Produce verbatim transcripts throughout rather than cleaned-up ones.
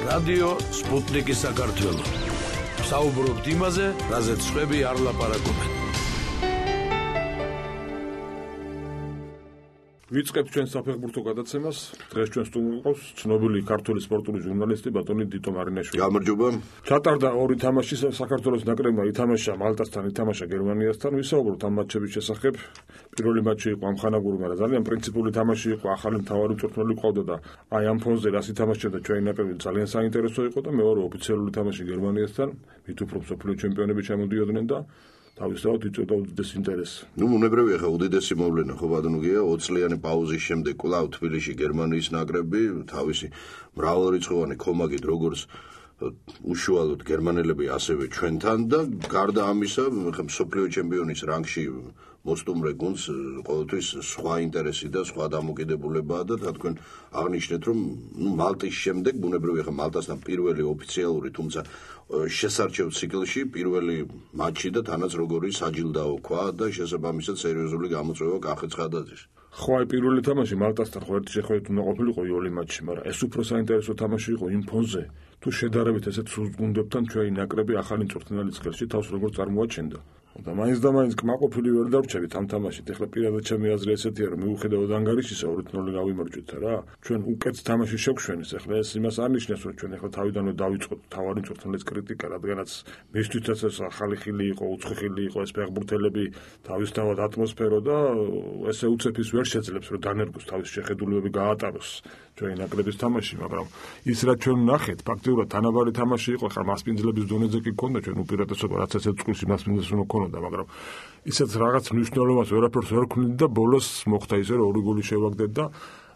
რადიო სპუტნიკი საქართველო. საუბრობთ იმაზე, რაზეც სხვები არ ლაპარაკობენ. ვიწყებთ ჩვენ საფეხბურთო გადაცემას. დღეს ჩვენ სტუმრად გვყავს ცნობილი ქართული სპორტული ჟურნალისტი ბატონი დიტო მარინაშვილი. გამარჯობა. ჩატარდა ორი თამაში საქართველოს ნაკრებმა ითამაშა მალტასთან, ითამაშა გერმანიასთან. ვისაუბროთ ამ მატჩების შესახებ. პირველი მატჩი იყო ამხანაგური, მაგრამ ძალიან პრინციპული თამაში იყო. ახალი მთავარი მწვრთნელი ყავდა და აი ამ ფონზე რას ითამაშებდა ჩვენი ნაკრები ძალიან საინტერესო იყო და მეორე ოფიციალური თამაში გერმანიასთან, მით უფრო მსოფლიო ჩემპიონები ჩამოდიოდნენ და თავისთავად იწვევდა უდიდეს ინტერესს. ნუ უნებრივია ხა უდიდესი მოვლენა ხო ბატონოგია ოც წლიანი პაუზის შემდეგ კვლავ თბილისში გერმანიის ნაკრები თავისი მრავალრიცხოვანი კომაგით როგორც უშუალოდ გერმანელები ასევე ჩვენთან და გარდა ამისა ხა მსოფლიო ჩემპიონის რანგში მოსტუმრე გუნდს ყოველთვის სხვა ინტერესი და სხვა დამოკიდებულებაა და თქვენ აღნიშნეთ რომ ნუ მალტის შემდეგ ბუნებრივია ხა მალტასთან პირველი ოფიციალური თუმცა შესარჩევ ციკლში პირველი მატჩი და თანაც როგორი საჯილდაო ქვა და შესაბამისად სერიოზული გამოწვევა კახეთ ხადაძის. ხო აი პირველი თამაში მალტასთან ხო ერთი შეხვედრით უნდა ყოფილიყო იოლი მატჩი, მაგრამ ეს უფრო საინტერესო თამაში იყო იმ ფონზე, თუ შედარებით ესეთ სულ გუნდებთან ჩვენი ნაკრები ახალი მწვრთნელის ხელში თავს როგორ წარმოაჩენდა. და მაინც და მაინც კმაყოფილი ვერ დავრჩებით ამ თამაშით. ეხლა პირადად ჩემი აზრი ესეთია, რომ მიუხედავად ანგარიშისა ორი ნული გავიმარჯვეთ რა. ჩვენ უკეთ თამაში შევხვენით. ეხლა ეს იმას არნიშნავს, რომ ჩვენ ეხლა თავიდანვე დავიწყოთ თავარი მწვრთნელის კრიტიკა, რადგანაც მისთვის ეს ახალი ხილი იყო, უცხო ხილი იყო, ეს ფეხბურთელები თავისთავად ატმოსფერო და ესე უცეფის ვერ შეძლებს, რომ დანერგოს თავის შეხედულებები გაატაროს ჩვენი ნაკრების თამაში, მაგრამ ის რაც ჩვენ ვნახეთ, ფაქტიურად თანაბარი თამაში იყო. ხა მასპინძლების დონეზე კი ქონდა ჩვენ უპირატესობა, რაც ესეთ წყვილში მასპინძელს უნდა ქონოდა, მაგრამ ისეთ რაღაც მნიშვნელობას ვერაფერს ვერ ქმნით და ბოლოს მოხდა ისე, რომ ორი გოლი შევაგდეთ და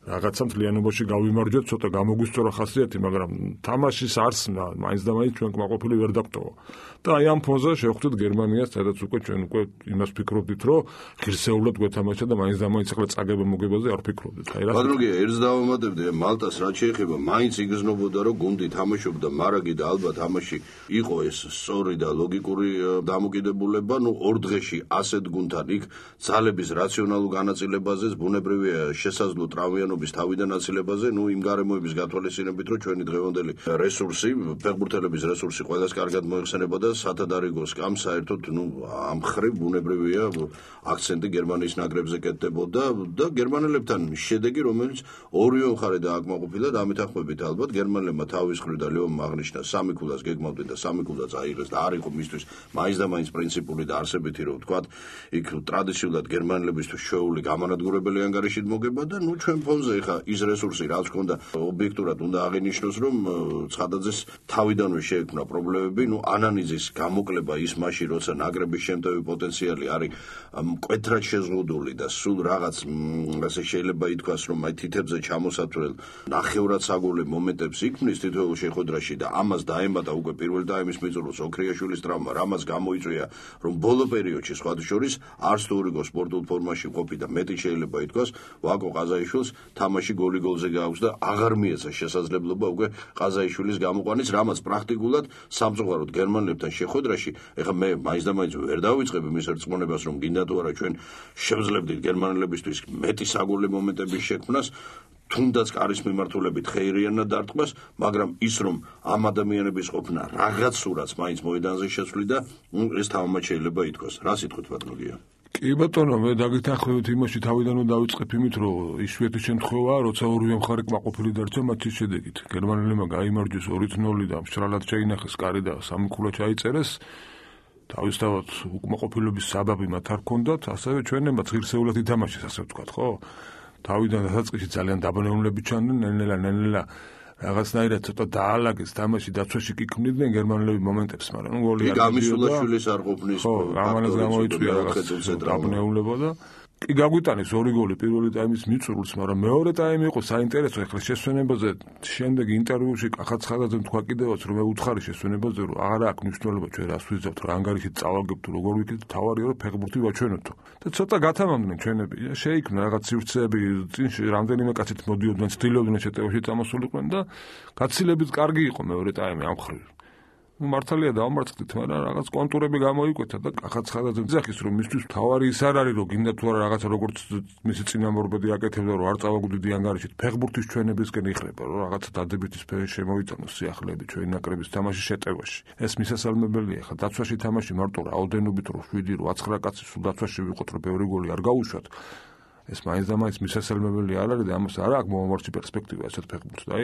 რაღაცა მთლიანობაში გავიმარჯვეთ, ცოტა გამოგვისწორა ხასიათი, მაგრამ თამაშის არსმა მაინც და მაინც ჩვენ კმაყოფილი ვერ დაგვტოვა. და აი ამ ფონზე შევხვდით გერმანიას, სადაც უკვე ჩვენ უკვე იმას ფიქრობდით, რომ ღირსეულად გვეთამაშა და მაინც და მაინც ახლა წაგება მოგებაზე არ ფიქრობდით. აი რა. ბატონოგია, ერთს დავამატებდი, მალტას რაც შეეხება, მაინც იგრძნობოდა, რომ გუნდი თამაშობდა, მარაგი და ალბათ თამაში იყო ეს სწორი და ლოგიკური დამოკიდებულება, ნუ ორ დღეში ასეთ გუნდთან იქ ძალების რაციონალურ განაწილებაზეც ბუნებრივია შესაძლო ტრავმიანობის თავიდან აცილებაზე, ნუ იმ გარემოების გათვალისწინებით, რომ ჩვენი დღევანდელი რესურსი, ფეხბურთელების რესურსი ყველას კარგად მოიხსენება და სათადარიგოს კამ საერთოდ ნუ ამ ხრივ ბუნებრივია აქცენტი გერმანიის ნაკრებზე კეთდებოდა და გერმანელებთან შედეგი რომელიც ორივე მხარე დააკმაყოფილა და ამით ახმებით ალბათ გერმანელებმა თავის ხრივ და ლეონმა აღნიშნა სამი ქულას გეგმავდნენ და სამი ქულაც აიღეს და არ იყო მისთვის მაინც და მაინც პრინციპული და არსებითი რომ ვთქვათ იქ ტრადიციულად გერმანელებისთვის შეეული გამანადგურებელი ანგარიშით მოგება და ნუ ჩვენ ფონზე ხა ის რესურსი რაც ჰქონდა ობიექტურად უნდა აღინიშნოს რომ ცხადაძეს თავიდანვე შეექმნა პრობლემები ნუ ანანიძის გამოკლება ის მასში როცა ნაკრების შემტევი პოტენციალი არის მკვეთრად შეზღუდული და სულ რაღაც ასე შეიძლება ითქვას რომ აი თითებზე ჩამოსათვლელ ნახევრად საგოლე მომენტებს იქმნის თითოეულ შეხვედრაში და ამას დაემატა უკვე პირველ ტაიმის მიწურულს ოქრიაშვილის ტრავმა რამაც გამოიწვია რომ ბოლო პერიოდში სხვათა შორის არც თუ რიგო სპორტულ ფორმაში ყოფი და მეტი შეიძლება ითქვას ვაკო ყაზაიშვილს თამაში გოლი გოლზე გააქვს და აღარ მიეცა შესაძლებლობა უკვე ყაზაიშვილის გამოყვანის რამაც პრაქტიკულად სამწუხაროდ გერმანელებთან შეხვედრაში ეხლა მე მაინც და მაინც ვერ დავიწყებ იმის რწმუნებას რომ გინდა თუ არა ჩვენ შევძლებდით გერმანელებისთვის მეტი საგოლე მომენტების შექმნას თუნდაც კარის მიმართულებით ხეირიანად დარტყმას მაგრამ ის რომ ამ ადამიანების ყოფნა რაღაც სურათს მაინც მოედანზე შეცვლიდა ეს თავმაც შეიძლება ითქვას რა სიტყვით ბატონოგია კი ბატონო მე დაგეთანხმებით იმაში თავიდანვე დავიწყებ იმით რომ იშვიათი შემთხვევაა როცა ორივე მხარე კმაყოფილი დარჩა მათის შედეგით გერმანელებმა გაიმარჯვეს ორი ნული და მშრალად შეინახეს კარი და სამი ქულა ჩაიწერეს თავისთავად უკმაყოფილების საბაბი მათ არ ჰქონდათ ასევე ჩვენებმა ღირსეულად ითამაშეს ასე ვთქვათ ხო თავიდან დასაწყისში ძალიან დაბნეულები ჩანდნენ ნელ-ნელა ნელ-ნელა რაღაცნაირად ცოტა დაალაგეს თამაში დაცვაში კი ქმნიდნენ გერმანელები მომენტებს მაგრამ ნუ გოლი არ გამისულაშვილის არ ყოფნის ხო ამანაც გამოიწვია რაღაც დაბნეულება და კი გაგვიტანეს ორი გოლი პირველი ტაიმის მიწურულს მაგრამ მეორე ტაიმი იყო საინტერესო ეხლა შესვენებაზე შემდეგ ინტერვიუში კახაც ხადაძემ თქვა კიდევაც რომ მე უთხარი შესვენებაზე რომ აღარა აქვს მნიშვნელობა ჩვენ რას ვიზავთ რა ანგარიშით წავაგებთ როგორ ვიქით თავარია რომ ფეხბურთი ვაჩვენოთო და ცოტა გათამამდნენ ჩვენები შეიქმნა რაღაც სივრცეები წინში რამდენიმე კაცით მოდიოდნენ ცდილობდნენ შეტევაში წამოსულიყვნენ და გაცილებით კარგი იყო მეორე ტაიმი ამ ხრივ მართალია დავამარცხდით, მაგრამ რაღაც კონტურები გამოიკვეთა და ახაც ხადაძემ ძახის რომ მისთვის თავარი ის არ არის რომ გინდა თუ არა რაღაცა როგორც მისი წინამორბედი აკეთებდა რომ არ წავაგდიდი ანგარიშით ფეხბურთის ჩვენებისკენ იხლება რომ რაღაცა დადებითი სფერო შემოიტანოს სიახლეები ჩვენი ნაკრების თამაშის შეტევაში. ეს მისასალმებელია, ხა დაცვაში თამაში მარტო რაოდენობით რომ შვიდი რო ათხრა კაცი სულ დაცვაში ვიყოთ რომ ბევრი გოლი არ გაუშვათ. ეს მაინც და მაინც მისასალმებელი არ არის და ამას არ აქვს მომავალში პერსპექტივა ასეთ ფეხბურთს. აი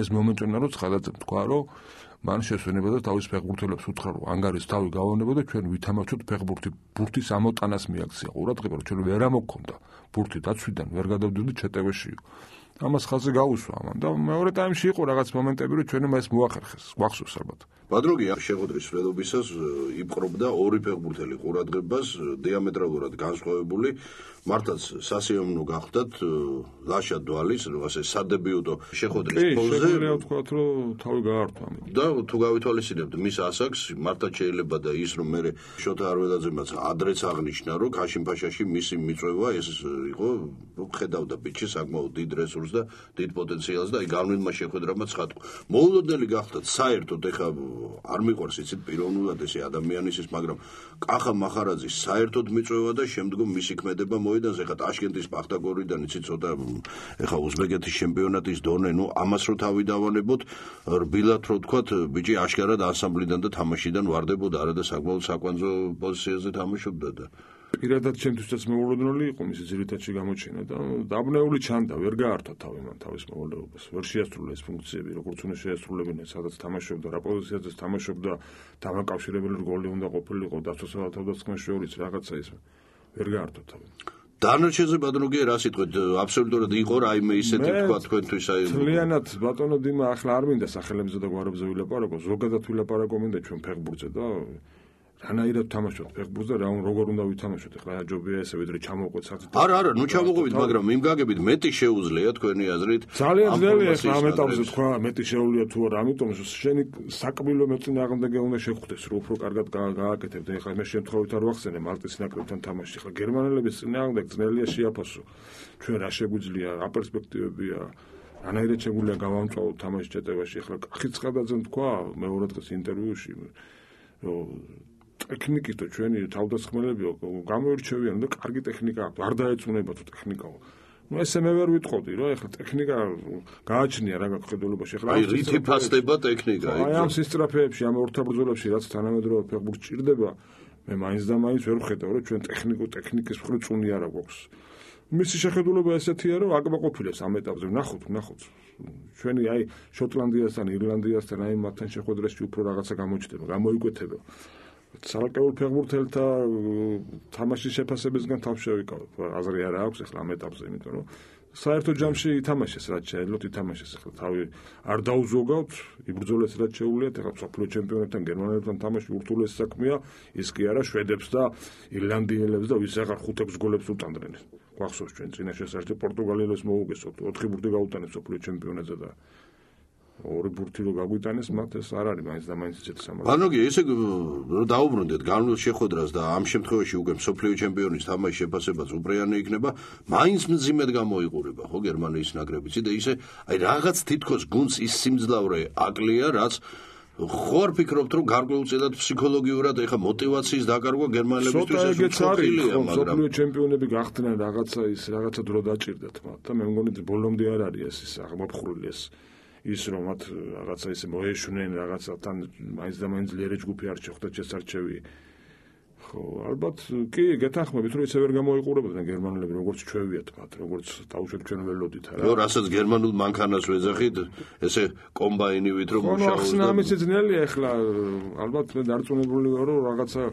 ეს მომენტი უნდა რომ ხადაძემ თქვა რომ მან შესვენება და თავის ფეხბურთელებს უთხრა რომ ანგარის თავი გავონება და ჩვენ ვითამაშოთ ფეხბურთი ბურთის ამოტანას მიაქცია ყურადღება რომ ჩვენ ვერ ამოქონდა ბურთი დაცვიდან ვერ გადავდივდით შეტევაში. ამას ხაზი გაუსვა ამან და მეორე ტაიმში იყო რაღაც მომენტები რომ ჩვენ მას მოახერხეს გვახსოვს ალბათ. ბადროგი შეხვედრის მშვიდობისას იპყრობდა ორი ფეხბურთელი ყურადღებას დიამეტრალურად განსხვავებული მართლაც სასიამოვნო გახდათ ლაშა დვალის ასე სადებიუტო შეხვედრის ფონზე შეგვიძლია ვთქვათ რომ თავი გაართვა და თუ გავითვალისწინებთ მის ასაკს მართლაც შეიძლება და ის რომ მე შოთა არველაძემაც ადრეც აღნიშნა რომ ქაშინ-ფაშაში მისი მიწვევა ეს იყო რომ ხედავდა ბიჭი საკმაოდ დიდ რესურსს და დიდ პოტენციალს და აი განვლილმა შეხვედრამაც ხატყო მოულოდნელი გახდათ საერთოდ ეხა არ მიყვარს იცით პიროვნულად ესე ადამიანის ის მაგრამ კახა მახარაძის საერთოდ მიწვევა და შემდგომ მისი ქმედება მოედანს ეხა ტაშკენტის პახტაგორიდან იცით ცოტა ეხა უზბეკეთის ჩემპიონატის დონე ნუ ამას რო თავი დავანებოთ რბილად რო თქვათ ბიჭი აშკარად ანსამბლიდან და თამაშიდან ვარდებოდა არა და საკმაოდ საკვანძო პოზიციაზე თამაშობდა და პირადად ჩემთვისაც მოულოდნელი იყო მისი ძირითადში გამოჩენა და დაბნეული ჩანდა ვერ გაართვა თავი მან თავის მოვალეობას ვერ შეასრულა ეს ფუნქციები როგორც უნდა შეასრულებინა სადაც თამაშობდა რა პოზიციაზეც თამაშობდა დამაკავშირებელი რგოლი უნდა ყოფილიყო დაცვასა და თავდასხმის შორის რაღაცა ის ვერ გაართვა თავი დანარჩენზე ბატონოგია რა სიტყვით აბსოლუტურად იყო რაიმე ისეთი თქვა თქვენთვის აი ძალიანად ბატონო დიმა ახლა არ მინდა სახელებზე და გვარებზე ვილაპარაკო ზოგადად ვილაპარაკო მინდა ჩვენ ფეხბურთზე და რანაირად თამაშობთ ფეხბურთს და რა როგორ უნდა ვითამაშოთ ახლა ჯობია ესე ვიდრე ჩამოვყვეთ საერთოდ არა არა ნუ ჩამოვყვეთ მაგრამ იმ გაგებით მეტი შეუძლია თქვენი აზრით ძალიან ძნელია ახლა ამ ეტაპზე თქვა მეტი შეუძლია თუ არა ამიტომ შენი საკბილო მეწინააღმდეგე უნდა შეხვდეს რომ უფრო კარგად გააკეთებ და ახლა მე შემთხვევით არ ვახსენე მალტის ნაკრებთან თამაში ახლა გერმანელების წინააღმდეგ ძნელია შეაფასო ჩვენ რა შეგვიძლია რა პერსპექტივებია რანაირად შეგვიძლია გავამწვავოთ თამაშის ჩატევაში ახლა ხიცხადაძემ თქვა მეორე დღეს ინტერვიუში რომ ტექნიკის და ჩვენი თავდასხმელები გამოირჩევიან და კარგი ტექნიკა აქვს არ დაეწუნება თუ ტექნიკაო ну ესე მე ვერ ვიტყოდი რომ ეხლა ტექნიკა გააჩნია რა გახედულობაში ეხლა აი რითი ფასდება ტექნიკა აი ამ სისტრაფეებში ამ ორთაბრძოლებში რაც თანამედროვე ფეხბურთი ჭირდება მე მაინც და მაინც ვერ ვხედავ რომ ჩვენ ტექნიკო ტექნიკის მხრივ წუნი არა გვაქვს მისი შეხედულება ესეთია რომ აკმაყოფილებს ამ ეტაპზე ნახოთ ნახოთ ჩვენი აი შოტლანდიასთან ირლანდიასთან აი მათთან შეხვედრაში უფრო რაღაცა გამოჩნდება გამოიკვეთება სალაკეულ ფეხბურთელთა თამაშის შეფასებისგან თავში შევიკავებ აზრი არა აქვს ახლა ამ ეტაპზე იმიტომ რომ საერთო ჯამში ითამაშეს რაც შეეძლოთ ითამაშეს ახლა თავი არ დაუზოგავთ იბრძოლეს რაც შეუულიათ ახლა მსოფლიო ჩემპიონატთან გერმანელებთან თამაში ურთულესი საქმეა ის კი არა შვედებს და ირლანდიელებს და ვის აღარ ხუთექვს გოლებს უტანდნენ გვახსოვს ჩვენ წინა შესაძლოა პორტუგალიელებს მოუგესოთ ოთხი ბურთი გაუტანეს მსოფლიო ჩემპიონატზე და ორი ბურთი რო გაგვიტანეს მათ ეს არ არის მაინც და მაინც ისეთი სამართალი. ბანოგი ესე რომ დაუბრუნდეთ განვლილ შეხვედრას და ამ შემთხვევაში უკვე მსოფლიო ჩემპიონის თამაშის შეფასებაც უპრეანე იქნება, მაინც მძიმედ გამოიყურება ხო გერმანიის ნაკრებიც და ისე აი რაღაც თითქოს გუნდს ის სიმძლავრე აკლია, რაც ხوار ფიქრობთ რომ გარკვეულწილად ფსიქოლოგიურად ეხა мотиваციის დაკარგვა გერმანელებისთვის ეს უცხოელია მაგრამ მსოფლიო ჩემპიონები გახდნენ რაღაცა ის რაღაცა დრო დაჭირდათ მათ და მე მგონი ბოლომდე არ არის ეს ის აღმოფხრული ეს ის რომ მათ რაღაცა ისე მოეშვნენ რაღაცათან მაინც და მაინც ძლიერე ჯგუფი არ შეხვდათ შესარჩევი ხო ალბათ კი გეთანხმებით რომ ისე ვერ გამოიყურებოდნენ გერმანელები როგორც ჩვევიათ მათ როგორც დაუშვათ ჩვენ ველოდით არა ნუ რასაც გერმანულ მანქანას ვეძახით ესე კომბაინივით რომ მუშაობს და ამის ძნელია ახლა ალბათ მე დარწმუნებული ვარ რომ რაღაცა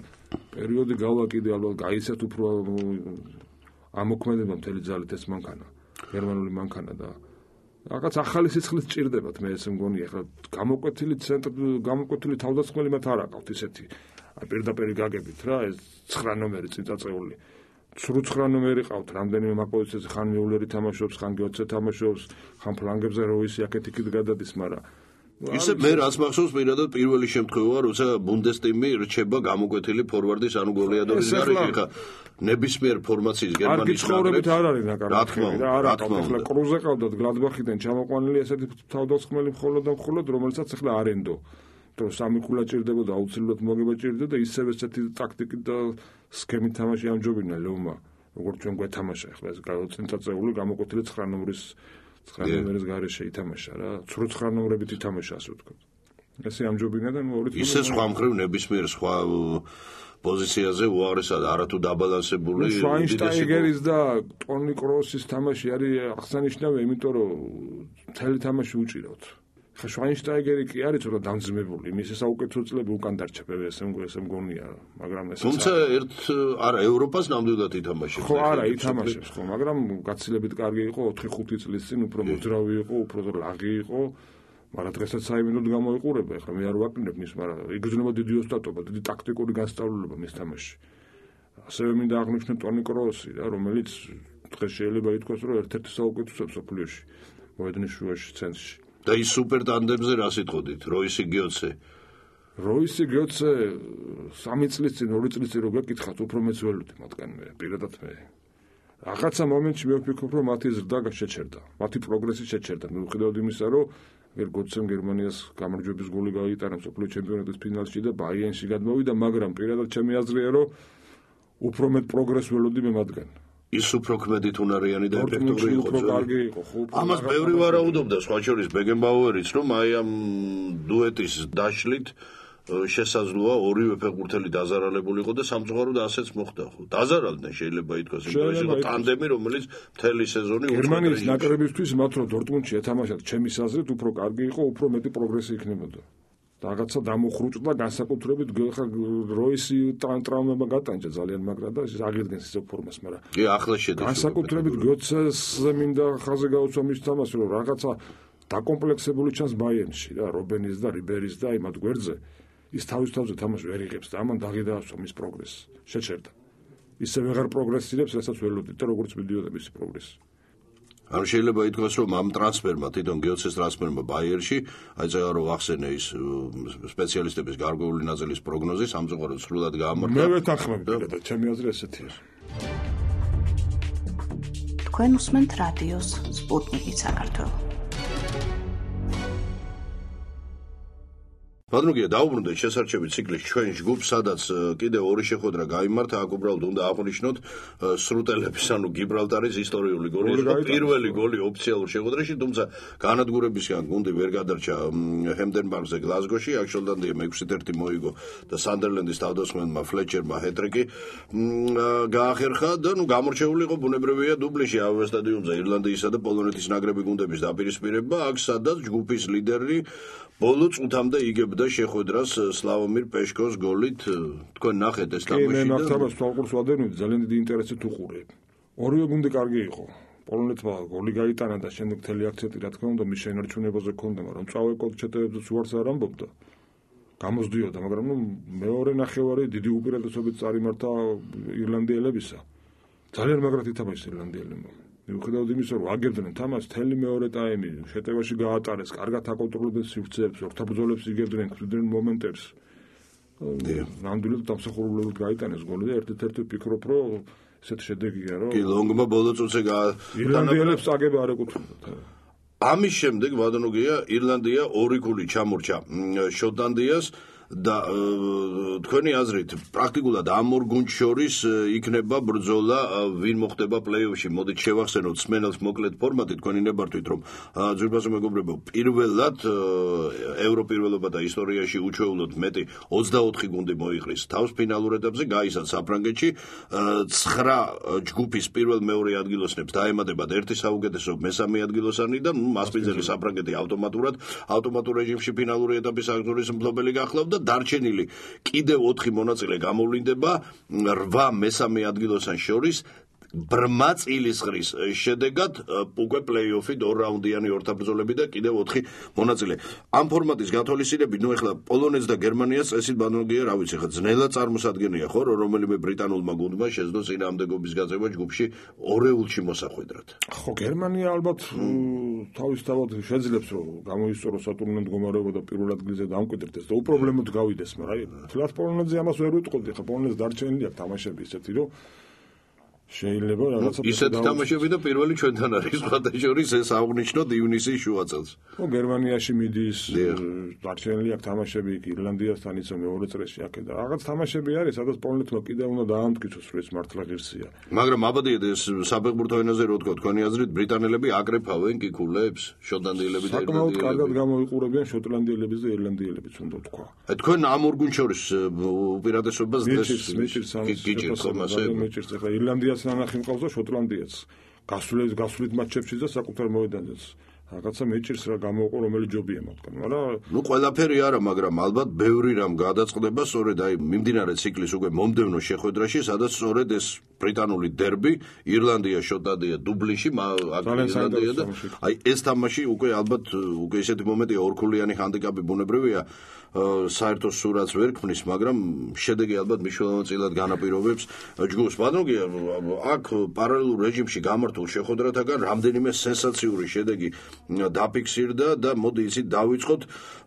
პერიოდი გავაკიდე ალბათ გაიცეთ უფრო ამოქმედება მთელი ძალით ეს მანქანა გერმანული მანქანა და რაღაც ახალი სიცხლით ჭირდებათ მე ესე მგონი ახლა გამოკვეთილი ცენტრ გამოკვეთილი თავდასხმელი მათ არ აყავთ ისეთი პირდაპირ გაგებით რა ეს ცხრა ნომერი წიწაწეული ცხრა ნომერი ყავთ რამდენიმე მაპოზიციაზე ხან მიულერი თამაშობს ხან გიოცე თამაშობს ხან ფლანგებზე როისი აქეთ-იქით გადადის მაგრამ ისე მე რაც მახსოვს პირადად პირველი შემთხვევა როცა ბუნდესტიმი რჩება გამოკვეთილი ფორვარდის ანუ გოლეადორის გარეშე ხა ნებისმიერ ფორმაციის გერმანიის ნაკრებს არ არის ნაკრები რა არა ახლა კრუზე ყავდათ გლადბახიდან ჩამოყვანილი ესეთი თავდასხმელი მხოლოდ და მხოლოდ რომელსაც ახლა არენდო რომ სამი ქულა ჭირდებოდა, აუცილებლად მოგება ჭირდება და ისევ ესეთი ტაქტიკით და სქემით თამაში ამჯობინა ლევმა, როგორც ჩვენ გვეთამაშა ახლა ეს წინწაწეული გამოკვეთილი ცხრა ნომრის ცხრა ნომრის გარეშე ითამაშა რა, ცხრა ცხრა ნომრებით ითამაშა ასე ვთქვათ. ესე ამჯობინა და ორი წელი ისე სხვა მხრივ ნებისმიერ სხვა პოზიციაზე უაღრესად არათუ დაბალანსებული შვაინშტაიგერის და ტონი კროსის თამაში არის აღსანიშნავი, იმიტომ რომ მთელი თამაში უჭირავთ. ხა შვაინშტაიგერი კი არის ცოტა დამძიმებული, მისი საუკეთესო წლები უკან დარჩა პევესემ ესე მგონია, მაგრამ ეს თუმცა ერთ არა ევროპას ნამდვილად ითამაშებს. ხო, არა, ითამაშებს ხო, მაგრამ გაცილებით კარგი იყო ოთხი ხუთი წლის წინ, უფრო მოძრავი იყო, უფრო ლაღი იყო. მაგრამ დღესაც საიმედოდ გამოიყურება, ეხლა მე არ ვაკნებ მის, მაგრამ იგრძნობა დიდი ოსტატობა, დიდი ტაქტიკური განსწავლება მის თამაშში. ასევე მინდა აღნიშნო ტონი კროსი, რა, რომელიც დღეს შეიძლება ითქვას, რომ ერთ-ერთი საუკეთესო მსოფლიოში მოედნის შუაში ცენტრში. და ის სუპერ ტანდემზე რა სიტყოდით, როისი გიოცე? როისი გიოცე სამი წლის წინ, ორი წლის წინ რო გეკითხათ, უფრო მეც ველოდი მათგან მე, პირადად მე. რაღაცა მომენტში მე ვფიქრობ, რომ მათი ზრდა შეჩერდა, მათი პროგრესი შეჩერდა, მიუხედავად იმისა, რომ ვერ გოცემ გერმანიას გამარჯვების გოლი გაიტანა მსოფლიო ჩემპიონატის ფინალში და ბაიერნში გადმოვიდა, მაგრამ პირადად ჩემი აზრია, რომ უფრო მეტ პროგრესს ველოდი მე მათგან. ის უფრო ქმედით უნარიანი და ეფექტური იყო. უფრო კარგი იყო, ხო. ამას ბევრი ვარაუდობდა, სხვა შორის ბეგენბაუერიც, რომ აი ამ დუეტის დაშლით შესაძლოა ორივე ფეხბურთელი დაზარალებულიყო და სამწუხაროდ ასეც მოხდა ხო. დაზარალდნენ შეიძლება ითქვას, იმიტომ ეს იყო ტანდემი, რომელიც მთელი სეზონი გერმანიის ნაკრებისთვის მათ რო დორტმუნდში ეთამაშათ, ჩემი აზრით უფრო კარგი იყო, უფრო მეტი პროგრესი იქნებოდა. რაღაცა დამოხრუჭდა განსაკუთრებით ხა როისი ტრაუმება გატანჯა ძალიან მაგრა და ეს აღიდგენს ისე ფორმას, მაგრამ კი ახლა შედება. განსაკუთრებით გოცეს მინდა ხაზე გაუცვა მის თამაში, რომ რაღაცა დაკომპლექსებული ჩანს ბაიერნში რა, რობენის და რიბერის და იმათ გვერდზე. ის თავის თავზე თამაში ვერ იღებს და ამან დაღიდაასვა მის პროგრესს, შეჩერდა. ისე ვეღარ პროგრესირებს, რასაც ველოდით და როგორც მიდიოდა მისი პროგრესი. ანუ შეიძლება ითქვას, რომ ამ ტრანსფერმა, თვითონ გიოცეს ტრანსფერმა ბაიერში, აი წეგა რომ ახსენე ის სპეციალისტების გარკვეული ნაწილის პროგნოზი სამწუხაროდ სრულად გაამართა. მე ვეთანხმები და ჩემი აზრი ესეთია. თქვენ უსმენთ რადიოს სპუტნიკი საქართველო. ბატონო, დაუბრუნდეთ შესარჩევი ციკლის ჩვენ ჯგუფს, სადაც კიდევ ორი შეხვედრა გაიმართა, აქ უბრალოდ უნდა აღვნიშნოთ სრუტელების, ანუ გიბრალტარის ისტორიული გოლი, პირველი გოლი ოფიციალურ შეხვედრაში, თუმცა განადგურებისგან გუნდი ვერ გადარჩა ჰემდენბარგზე გლაზგოში, აქ შოტლანდია მეექვსი ერთი მოიგო და სანდერლენდის თავდამსხმელმა ფლეჩერმა ჰეტრიკი გაახერხა და ნუ გამორჩეული იყო ბუნებრივია დუბლიში ავე სტადიონზე ირლანდიისა და პოლონეთის ნაკრები გუნდების დაპირისპირება, აქ სადაც ჯგუფის ლიდერი ბოლო წუთამდე იგებდა შეხვედრას სლავომირ პეშკოს გოლით. თქვენ ნახეთ ეს თამაში? კი, მე ნახტაბას თვალყურს ვადევნით, ძალიან დიდი ინტერესით უყურე. ორივე გუნდი კარგი იყო. პოლონეთმა გოლი გაიტანა და შემდეგ მთელი აქცენტი რა თქმა უნდა მის შენარჩუნებაზე ქონდა, მაგრამ წავე კოჩეტებებს უარს არ ამბობდა. გამოსდიოდა, მაგრამ ნუ მეორე ნახევარი დიდი უპირატესობით წარიმართა ირლანდიელებისა. ძალიან მაგრად ითამაშეს ირლანდიელებმა. მიუხედავად იმისა, რომ აგებდნენ თამაშს, თელი მეორე ტაიმი შეტევაში გაატარეს, კარგად აკონტროლებდნენ სივრცეებს, ორთაბრძოლებს იგებდნენ, ხვდნენ მომენტებს. ნამდვილად დამსახურებულად გაიტანეს გოლი და ერთ-ერთი ვფიქრობ, რომ ესეთ შედეგია, რომ კი, ლონგმა ბოლო წუთზე ირლანდიელებს აგება არ ეკუთვნოდა. ამის შემდეგ ბატონოგია ირლანდია ორი ქული ჩამორჩა შოტლანდიას და თქვენი აზრით პრაქტიკულად ამ ორ გუნდს შორის იქნება ბრძოლა ვინ მოხდება პლეი-ოფში. მოდით შევახსენოთ სმენელს მოკლედ ფორმატი, თქვენი ნებართვით რომ ძვირფასო მეგობრებო, პირველად ევროპირველობა და ისტორიაში უჩვეულოდ მეტი ოცდაოთხი გუნდი მოიყრის თავს ფინალურ ეტაპზე, გაისად საფრანგეთში, ცხრა ჯგუფის პირველ მეორე ადგილოსნებს დაემატებათ ერთი საუკეთესო მესამე ადგილოსანი და მასპინძელი საფრანგეთი ავტომატურად ავტომატურ რეჟიმში ფინალური ეტაპის აღზრდის მფლობელი გახლავდა. დარჩენილი კიდევ ოთხი მონაწილე გამოვლინდება რვა მესამე ადგილოსან შორის ბრმა წილისყრის შედეგად უკვე პლეი-ოფი ორ რაუნდიანი ორთაბრძოლები და კიდევ ოთხი მონაწილე. ამ ფორმატის გათვალისწინებით, ნუ ეხლა პოლონეთს და გერმანიას წესით ბანონგია, რა ვიცი, ხა ძნელად წარმოსადგენია ხო, რომ რომელიმე ბრიტანულმა გუნდმა შეძლო წინააღმდეგობის გაწევა ჯგუფში ორეულში მოსახვედრად. ხო, გერმანია ალბათ თავისთავად შეძლებს რომ გამოისწოროს სატურნო მდგომარეობა და პირველ ადგილზე დამკვიდრდეს და უპრობლემოდ გავიდეს, მაგრამ თლათ პოლონეთზე ამას ვერ ვიტყოდი, ხა პოლონეთს დარჩენილი აქვს თამაშები ისეთი, რომ შეიძლება რაღაცა ისეთი თამაშები და პირველი ჩვენთან არის სხვათა შორის ეს აღნიშნოთ ივნისის შუა წელს. ო გერმანიაში მიდის, დარჩენილი აქვს თამაშები იქ ირლანდიასთან იცო მეორე წრეში აქ და რაღაც თამაშები არის, სადაც პოლონეთმა კიდევ უნდა დაამტკიცოს, რომ ეს მართლა ღირსია. მაგრამ აბადიეთ ეს საფეხბურთო ენაზე რო თქვა, თქვენი აზრით ბრიტანელები აკრეფავენ კიკულებს, შოტლანდიელები და საკმაოდ ირლანდიელები. კარგად გამოიყურებიან შოტლანდიელებიც და ირლანდიელებიც უნდა თქვა. თქვენ ამ ორ გუნდს შორის უპირატესობას დღეს მეჭირს მეჭირს მეჭირს ახლა ირლანდიას ნახი მყავს და შოტლანდიაც გასულეთ გასულით მატჩებში და საკუთარ მოედანზეც რაღაცა მეჭირს რა გამოვყო რომელი ჯობია მათგან მაგრამ ნუ ყველაფერი არა მაგრამ ალბათ ბევრი რამ გადაწყდება სწორედ აი მიმდინარე ციკლის უკვე მომდევნო შეხვედრაში სადაც სწორედ ეს ბრიტანული დერბი ირლანდია შოტლანდია დუბლინში ირლანდია და აი ეს თამაში უკვე ალბათ უკვე ესეთი მომენტია ორქულიანი ჰანდიკაპი ბუნებრივია საერთო სურათს ვერ ქმნის, მაგრამ შედეგი ალბათ მნიშვნელოვნად განაპირობებს ჯგუფს. ბატონო, აქ პარალელურ რეჟიმში გამართულ შეხვედრათაგან რამდენიმე სენსაციური შედეგი დაფიქსირდა და მოდი იცით დავიწყოთ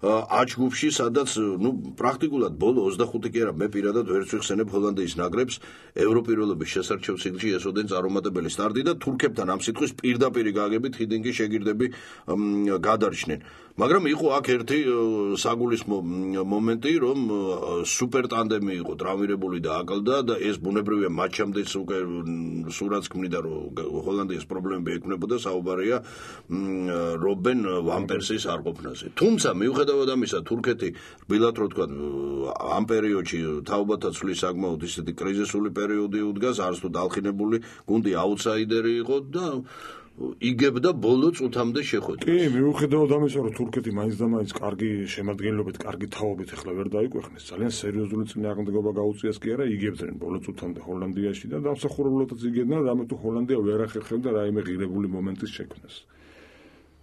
ა ჯგუფში, სადაც ნუ პრაქტიკულად ბოლო ოცდახუთი კი არა, მე პირადად ვერც ვიხსენებ ჰოლანდიის ნაკრებს ევროპირველობის შესარჩევ ციკლში ესოდენ წარუმატებელი სტარტი და თურქებთან ამ სიტყვის პირდაპირი გაგებით ჰიდინგი შეგირდები გადარჩნენ. მაგრამ იყო აქ ერთი საგულისხმო მომენტი, რომ სუპერ ტანდემი იყო ტრავმირებული და აკლდა და ეს ბუნებრივია მატჩამდეც უკვე სურათს ქმნიდა, რომ ჰოლანდიის პრობლემები ექნებოდა, საუბარია რობენ ვან პერსის არყოფნაზე. თუმცა მიუხედავად ამისა, თურქეთი რბილად რო თქვა, ამ პერიოდში თაობათა ცვლის საკმაოდ ისეთი კრიზისული პერიოდი უდგას, არც თუ დალხინებული გუნდი აუტსაიდერი იყო და იგებდა ბოლო წუთამდე შეხვედრას. კი, მიუხედავად ამისა, რომ თურქეთი მაინც და მაინც კარგი შემადგენლობით, კარგი თაობით ახლა ვერ დაიკვეხნეს, ძალიან სერიოზული წინააღმდეგობა გაუწიას კი არა, იგებდნენ ბოლო წუთამდე ჰოლანდიაში და დამსახურებულადაც იგებდნენ, რამე თუ ჰოლანდია ვერ ახერხებდა რაიმე ღირებული მომენტის შექმნას.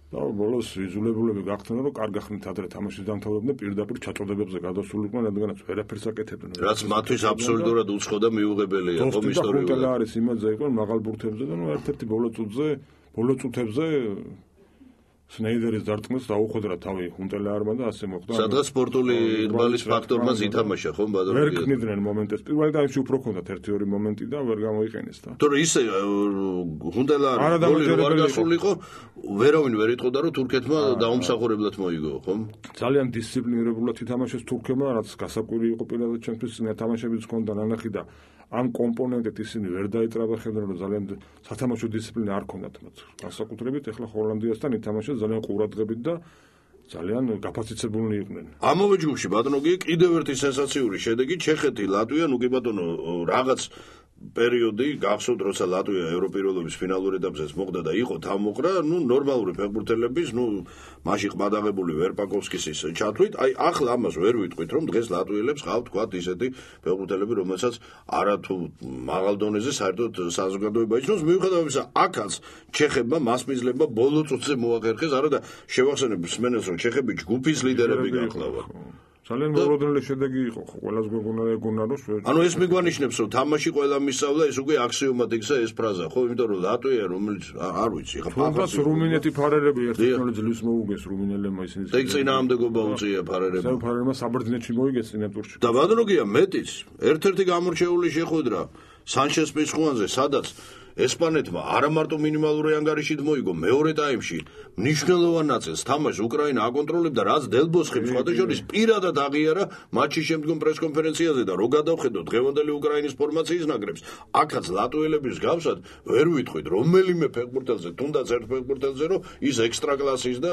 და ბოლოს იძულებულები გახდნენ, რომ კარგ ახნით ადრე თამაშის დამთავრებდნენ, პირდაპირ ჩაწოდებებზე გადასულიყვნენ, რადგანაც ვერაფერს აკეთებდნენ. რაც მათთვის აბსოლუტურად უცხო და მიუღებელია, ხომ ისტორიულად. და არის იმაზე იყო მაღალ ბურთებზე და ნუ ერთ-ერთი ბოლო წუთზე ბოლო წუთებზე სნეიდერის დარტყმას დაუხვედრა თავი ჰუნტელაარმა და ასე მოხდა. სადღაც სპორტული ირბალის ფაქტორმა ითამაშა, ხომ ბადო? ვერ ქმნიდნენ მომენტებს. პირველ რიგში უფრო ჰქონდათ ერთი ორი მომენტი და ვერ გამოიყენეს და. თორე ისე ჰუნტელაარი გოლი არ გასულიყო, ვერავინ ვერ იტყოდა, რომ თურქეთმა დაუმსახურებლად მოიგო, ხომ? ძალიან დისციპლინირებულად ითამაშეს თურქებმა, რაც გასაკვირი იყო პირადად ჩემთვის, თამაშებიც ჰქონდა ნანახი და ამ კომპონენტით ისინი ვერ დაეწრაბახებდნენ, რომ ძალიან სათამაშო დისციპლინა არ ჰქონდათ მათ. განსაკუთრებით ახლა ჰოლანდიასთან ითამაშეს ძალიან ყურადღებით და ძალიან გაფასიცებულნი იყვნენ. ამავე ჯგუფში ბატონო კი კიდევ ერთი სენსაციური შედეგი ჩეხეთი, ლატვია, ნუ კი ბატონო რაღაც პერიოდი გახსოვთ, როცა ლატვია ევროპირველობის ფინალურ ეტაპზეც მოხდა და იყო თავმოყრა, ნუ ნორმალური ფეხბურთელების, ნუ მაშინ ყბადაღებული ვერპაკოვსკის ის ჩათვლით, აი ახლა ამას ვერ ვიტყვით, რომ დღეს ლატვიელებს ყავთ თქვათ ისეთი ფეხბურთელები, რომელსაც არათუ მაღალ დონეზე საერთოდ საზოგადოება იცნობს, მიუხედავად ამისა, აქაც ჩეხებმა მასპინძლებმა ბოლო წუთზე მოახერხეს, არა და შევახსენებ მსმენელს, რომ ჩეხები ჯგუფის ლიდერები გახლავთ. ძალიან მოულოდნელი შედეგი იყო, ხო, ყველას გვეგონა ეგონა რომ ანუ ეს მიგვანიშნებს, რომ თამაში ყველა მისავლა, ეს უკვე აქსიომად იქცა ეს ფრაზა, ხო, იმიტომ რომ ლატვია, რომელიც არ ვიცი, ხა ფაფას რუმინეთი ფარერები ერთმანეთს ძლივს მოუგეს რუმინელებმა ისინი. და იქ წინააღმდეგობა უწია ფარერებმა. ეს ფარერმა საბერძნეთში მოიგეს წინა ტურში. და ბატონო გია მეტიც, ერთ-ერთი გამორჩეული შეხვედრა სანჩეს პიცხუანზე, სადაც ესპანეთმა არა მარტო მინიმალური ანგარიშით მოიგო, მეორე ტაიმში მნიშვნელოვან ნაწილს თამაშს უკრაინა აკონტროლებდა, რაც დელბოსხემ სხვათა შორის პირადად აღიარა მატჩის შემდგომ პრესკონფერენციაზე და რო გადავხედოთ დღევანდელი უკრაინის ფორმაციის ნაკრებს, აქაც ლატვიელების გავსად ვერ ვიტყვით რომელიმე ფეხბურთელზე, თუნდაც ერთ ფეხბურთელზე, რომ ის ექსტრა კლასის და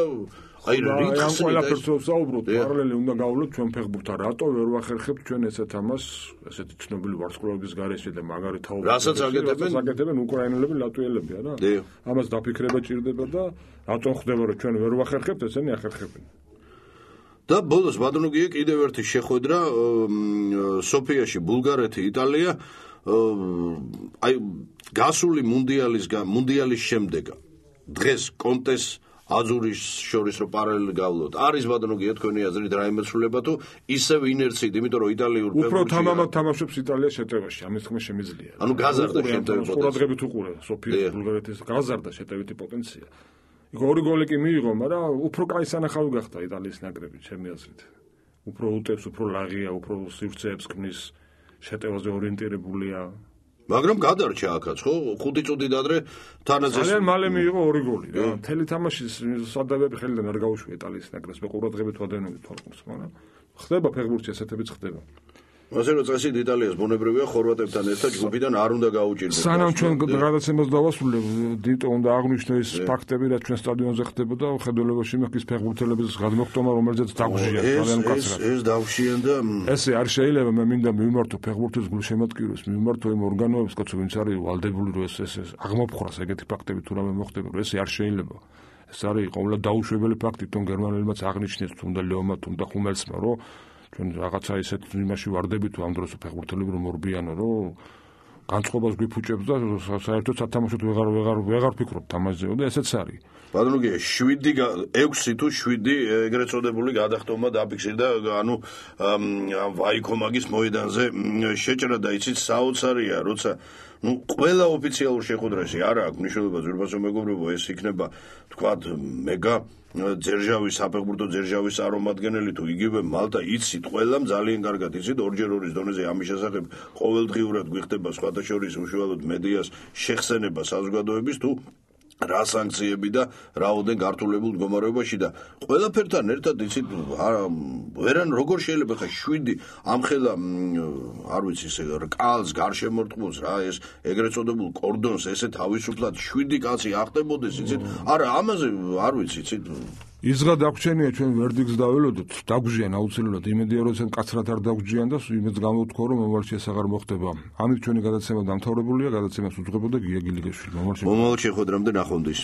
აი რითს ყველაფერს ვსაუბრობთ, პარალელი უნდა გავვლოთ ჩვენ ფეხბურთთან, რატო ვერ ვახერხებთ ჩვენ ესეთ ამას, ესეთი ცნობილი ვარსკვლავების გარეშე და მაგარი თაობა. რასაც აკეთებენ? აკეთებენ უკრაინელები, ლატვიელები, არა? ამას დაფიქრება ჭირდება და რატომ ხდება, რომ ჩვენ ვერ ვახერხებთ, ესენი ახერხებენ. და ბოლოს ბატონო გია კიდევ ერთი შეხვედრა სოფიაში, ბულგარეთი, იტალია, აი გასული მუნდიალის მუნდიალის შემდეგ დღეს კონტეს აზურის შორის რო პარალელი გავლოთ. არის ბატონო გია თქვენი აზრით რაიმე ცვლილება თუ ისევ ინერციით, იმიტომ რომ იტალიურ ფეხბურთში უფრო თამამად თამაშობს იტალია შეტევაში, ამის თქმა შემიძლია. ანუ გაზარდა შეტევის ყურადღებით უყურე სოფიის ბულგარეთის გაზარდა შეტევითი პოტენცია. იქ ორი გოლი კი მიიღო, მაგრამ უფრო კაი სანახავი გახდა იტალიის ნაკრები, ჩემი აზრით. უფრო უტევს, უფრო ლაღია, უფრო სივრცეებს ქმნის, შეტევაზე ორიენტირებულია. მაგრამ გადარჩა აქაც, ხო? ხუთი წუთით ადრე თანაზეს ძალიან მალე მიიღო ორი გოლი რა. მთელი თამაშის სადავები ხელიდან არ გაუშვია იტალიის ნაკრებს, მე ყურადღებით ვადევნები თვალყურს, მაგრამ ხდება ფეხბურთში ესეთებიც ხდება. ასე რომ წესით იტალიას ბუნებრივია ხორვატებთან ერთად ჯგუფიდან არ უნდა გაუჭირდეს. სანამ ჩვენ გადაცემას დავასრულებ, დიტო უნდა აღნიშნო ეს ფაქტები, რაც ჩვენ სტადიონზე ხდებოდა, ხედველებაში მეხის ფეხბურთელების გადმოხტომა, რომელზეც დაგუჟია ძალიან მკაცრად. ეს დავშიან და ესე არ შეიძლება, მე მინდა მივმართო ფეხბურთის გულშემატკივრებს, მივმართო იმ ორგანოებს, კაცო, ვინც არის ვალდებული, რომ ეს ეს აღმოფხრას ეგეთი ფაქტები თუ რამე მოხდება, რომ ესე არ შეიძლება. ეს არის ყოველდღე დაუშვებელი ფაქტი, თუნ გერმანელებმაც აღნიშნეს, თუნდა ლეომა, თუნდა ხუმელსმა, რომ ჩვენ რაღაცა ისეთ იმაში ვარდებით თუ ამ დროს ფეხბურთელები რომ ორბიანო რომ განწყობას გვიფუჭებს და საერთოდ სათამაშოდ ვეღარ ვეღარ ვეღარ ვფიქრობთ ამაზე და ესეც არის. ბატონო, შვიდი ექვსი თუ შვიდი ეგრეთ წოდებული გადახტომა დაფიქსირდა, ანუ ვაიკომაგის მოედანზე შეჭრა და იცით საოცარია, როცა ნუ ყველა ოფიციალურ შეხვედრაში არა აქვს მნიშვნელობა ზურბასო მეგობრებო, ეს იქნება თქვათ მეგა ძერჟავის საფეხბურთო ძერჟავის წარმომადგენელი თუ იგივე მალტა იცით ყველამ ძალიან კარგად იცით ორჯერ ორის დონეზე ამის შესახებ ყოველდღიურად გვიხდება სხვათა შორის უშუალოდ მედიას შეხსენება საზოგადოების თუ რა სანქციები და რაოდენ გართულებულ მდგომარეობაში და ყველაფერთან ერთად იცით ვერან როგორ შეიძლება ხა შვიდი ამხელა არ ვიცი ესე რკალს გარშემორტყმულს რა ეს ეგრეთ წოდებულ კორდონს ესე თავისუფლად შვიდი კაცი ახდებოდეს იცით არა ამაზე არ ვიცი იცით იზღა დაგვრჩენია ჩვენ ვერდიქტს დაველოდოთ დაგვჟიან აუცილებლად იმედია რომ ეს კაცრად არ დაგვჯიან და იმედს გამოვთქვა რომ მომავალში ეს აღარ მოხდება ამით ჩვენი გადაცემა დამთავრებულია გადაცემას უძღვებოდა გია გილიგაშვილი მომავალ შეხვედრამდე ნახვამდის